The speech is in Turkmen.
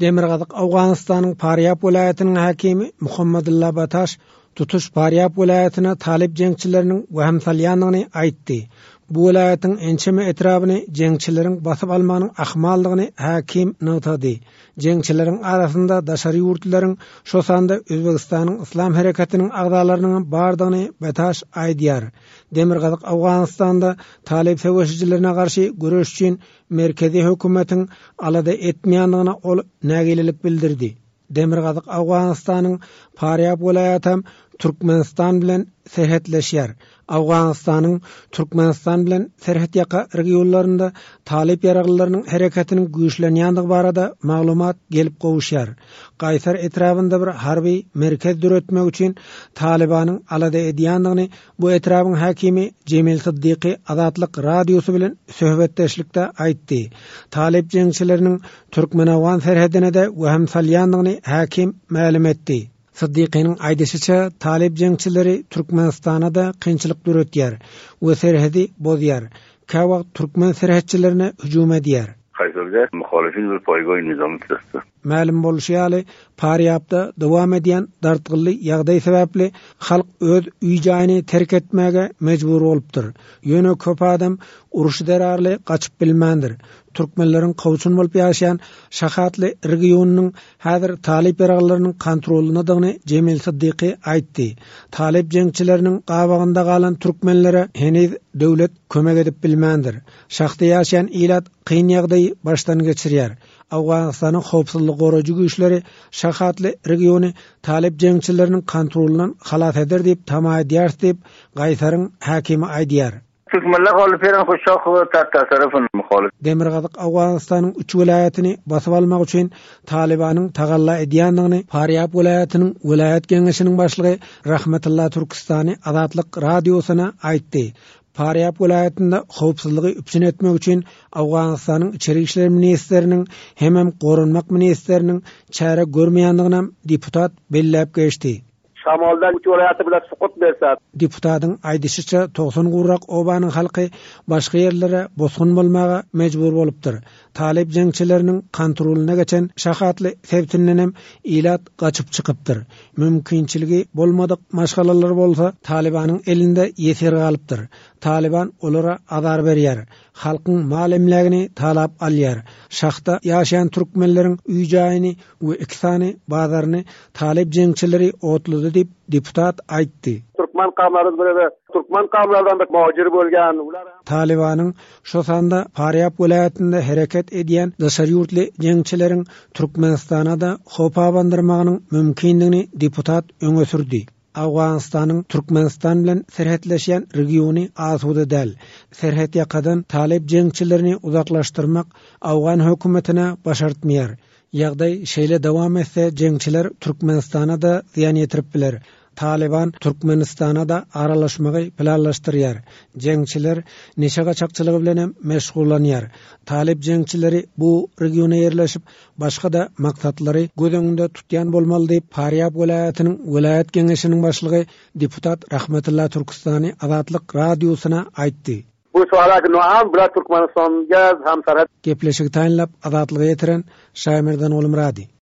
Demirgazyk Owganystanyň Farýab welaýatynyň häkimi Muhammadulla Bataş tutuş Farýab welaýatyna talyp jeňçileriniň wehim salýandygyny aýtdy. Bu welaýatyň ençeme etrabyny jeňçileriň basyp almagynyň ahmaldygyny häkim nygtady. Jeňçileriň arasynda daşary ýurtlularyň, şo sanda Özbegistanyň Yslam hereketiniň agzalarynyňam bardygyny Bataş aýdýar. Demirgazyk Owganystanda talyp söweşijilerine garşy göreş üçin merkezi hökümetiň alada etmeýändigine ol nägilelik bildirdi. Demirgazyk Owganystanyň Farýab welaýatam Türkmenistan bilen serhetleşýär. Owganystanyň Türkmenistan bilen serhetýaka regionlarynda talyp ýaraglylarynyň hereketiniň güýçlenýändigi barada maglumat gelip gowuşýar. Gaýsar etrabynda bir harby merkez döretmek üçin Talybanyň alada edýändigini Bu etrabyň häkimi Jemil Syddyky Azatlyk Radiosy bilen söhbetdeşlikde aýtdy. Talyp jeňçileriniň türkmen-owgan serhedine-de wehim salýandygyny häkim mälim etdi. Syddykynyň aýdyşyça, talyp jeňçileri Türkmenistana-da kynçylyk döretýär we serhedi bozýar. Käwagt türkmen serhetçilerine hüjüm edýär. Kaýserde muhalifin bir paýgoý nizamy tüzdi. Mälim bolşy ýaly, Farýabda dowam edýän dartgynly ýagdaý sebäpli halk öz öý-jaýyny terk etmäge mejbur bolupdyr. Ýöne köp adam uruş zerarly gaçyp bilmändir. Türkmenleriň kowçum bolup ýaşaýan Şahatly regionynyň häzir talyp ýaraglylarynyň kontrolyndadygyny Jemil Syddyky aýtdy. Talyp jeňçileriniň gabagynda galan türkmenlere heniz döwlet kömek edip bilmändir. Şahda ýaşaýan ilat kyn ýagdaýy başdan geçirýär. Owganystanyň howpsuzlygy goraýjy güýçleri Şahatly regiony talyp jeňçileriniň kontrolyndan halas eder diýip tama edýäris diýip, Gaýsaryň häkimi aýdýar. Türkmenler haly peren hoşak we tartasarafyn muhalyf. Demirgazyk Owganystanyň üç welaýatyny basyp almak üçin Talybanyň tagalla edýändigini Farýab welaýatynyň welaýat geňeşiniň başlygy Rahmetulla Türkistany Azatlyk Radiosyna aýtdy. Farýab welaýatynda howpsuzlygy üpjün etmek üçin Owganystanyň içeri işler ministriniň hemem goranmak ministriniň çäre görmeýändiginem deputat belläp geçdi. Şamolda üç welaýaty bilen sukut berse. Deputatyň aýdyşyça, 90 gowrak obanyň halky başga ýerlere bosgun bolmaga mejbur bolupdyr. Talyp jeňçileriniň kontrolyna geçen Şahatly sebitindenem ilat gaçyp çykypdyr. Mümkinçiligi bolmadyk maşgalalar bolsa Talybanyň elinde ýesir galypdyr. Talyban olara azar berýär. Halkyň mal-emlägini talap alýar. Şahda ýaşaýan türkmenleriň öý-jaýyny we iki sany bazaryny talyp jeňçileri otlady diýip, deputat aýtdy. Türkmen kawmlary birede türkmen kawmlardan da muhajir bolgan. Talybanyň şo sanda Farýab welaýatynda hereket edýän daşary ýurtly jeňçileriň Türkmenistana-da howp abandyrmagynyň mümkindigini deputat öňe sürdi. Owganystanyň Türkmenistan bilen serhetleşýän regiony asuda däl. Serhetýakadan talyp jeňçilerini uzaklaşdyrmak owgan hökümetine başartmaýar. Ýagdaý şeýle dowam etse, jeňçiler Türkmenistana-da zyýan ýetirip biler. Talyban Türkmenistana-da aralaşmagy planlaşdyrýar. Jeňçiler neşe gaçakçylygy bilenem meşgullanýar. Talyp jeňçileri bu regiona ýerleşip, başga-da maksatlary göz öňünde tutýan bolmaly diýip, Farýab welaýatynyň welaýat geňeşiniň başlygy deputat Rahmetulla Türkistany Azatlyk Radiosyna aýtdy. Bu soalak noam bular Türkmenistanga hamsarhat. Gepleşigi taýynlap, Azatlyga ýetiren Şaýmerdan Gulmyrady.